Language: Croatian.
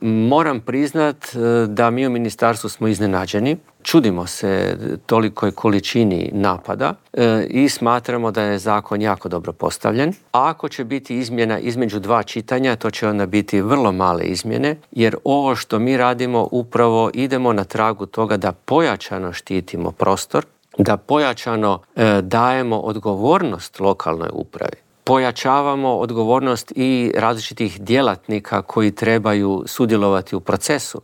Moram priznat da mi u ministarstvu smo iznenađeni. Čudimo se tolikoj količini napada i smatramo da je zakon jako dobro postavljen. A ako će biti izmjena između 2 čitanja, to će onda biti vrlo male izmjene, jer ovo što mi radimo upravo idemo na tragu toga da pojačano štitimo prostor, da pojačano dajemo odgovornost lokalnoj upravi. Pojačavamo odgovornost i različitih djelatnika koji trebaju sudjelovati u procesu.